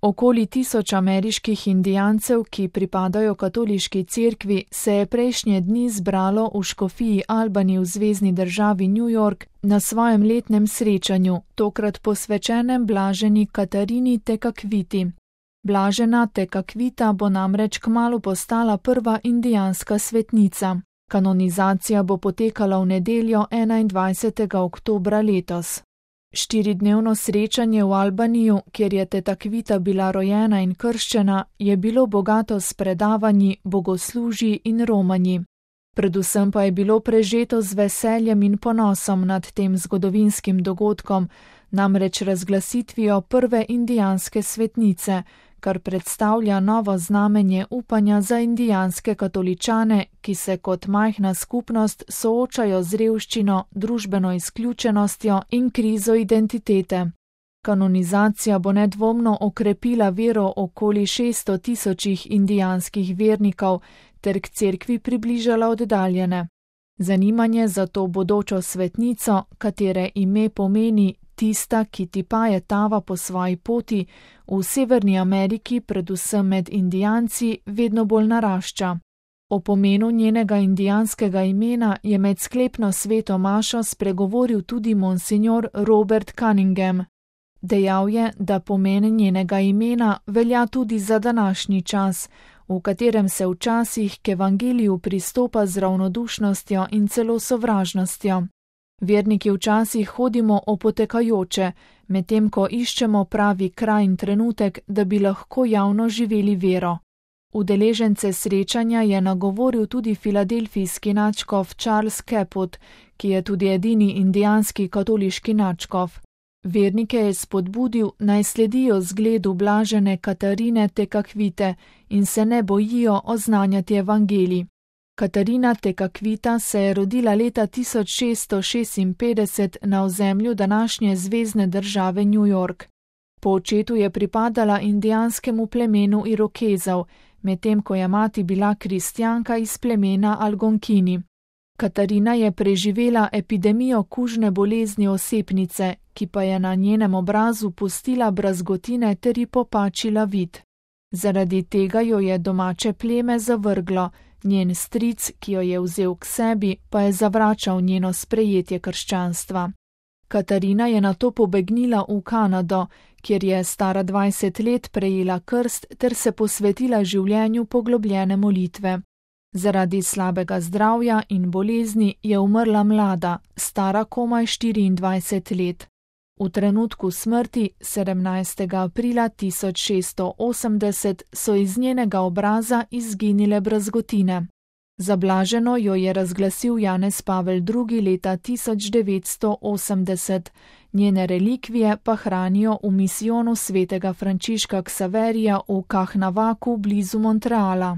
Okoli 1000 ameriških indijancev, ki pripadajo katoliški cerkvi, se je prejšnje dni zbralo v škofiji Albany v zvezni državi New York na svojem letnem srečanju, tokrat posvečenem blaženi Katarini Tekakwiti. Blažena Tekakwita bo namreč kmalu postala prva indijanska svetnica. Kanonizacija bo potekala v nedeljo 21. oktobra letos. 4-dnevno srečanje v Albaniju, kjer je Tekakwita bila rojena in krščena, je bilo bogato s predavanji, bogoslužji in romanji. Predvsem pa je bilo prežeto z veseljem in ponosom nad tem zgodovinskim dogodkom, namreč razglasitvijo prve indijanske svetnice, kar predstavlja novo znamenje upanja za indijanske katoličane, ki se kot majhna skupnost soočajo z revščino, družbeno izključenostjo in krizo identitete. Kanonizacija bo nedvomno okrepila vero okoli 600 000 indijanskih vernikov ter k cerkvi približala oddaljene. Zanimanje za to bodočo svetnico, katere ime pomeni tista, ki tipaje tava po svoji poti, v Severni Ameriki, predvsem med Indijanci, vedno bolj narašča. O pomenu njenega indijanskega imena je med sklepno sveto mašo spregovoril tudi monsignor Robert Cunningham. Dejal je, da pomen njenega imena velja tudi za današnji čas, v katerem se včasih k evangeliju pristopa z ravnodušnostjo in celo sovražnostjo. Verniki včasih hodimo opotekajoče, medtem ko iščemo pravi kraj in trenutek, da bi lahko javno živeli vero. Udeležence srečanja je nagovoril tudi filadelfijski nadškof Charles Caput, ki je tudi edini indijanski katoliški nadškof. Vernike je spodbudil, naj sledijo zgledu blažene Katarine Tekakwite in se ne bojijo oznanjati evangelij. Katarina Tekakwita se je rodila leta 1656 na ozemlju današnje zvezne države New York. Po očetu je pripadala indijanskemu plemenu Irokezov, medtem ko je mati bila kristjanka iz plemena Algonkini. Katarina je preživela epidemijo kužne bolezni osepnice, ki pa je na njenem obrazu pustila brazgotine ter ji popačila vid. Zaradi tega jo je domače pleme zavrglo, njen stric, ki jo je vzel k sebi, pa je zavračal njeno sprejetje krščanstva. Katarina je nato pobegnila v Kanado, kjer je stara 20 let prejela krst ter se posvetila življenju poglobljene molitve. Zaradi slabega zdravja in bolezni je umrla mlada, stara komaj 24 let. V trenutku smrti, 17. aprila 1680, so iz njenega obraza izginile brazgotine. Za blaženo jo je razglasil Janez Pavel II. Leta 1980, njene relikvije pa hranijo v misijonu svetega Frančiška Ksaverija v Kahnavaku blizu Montreala.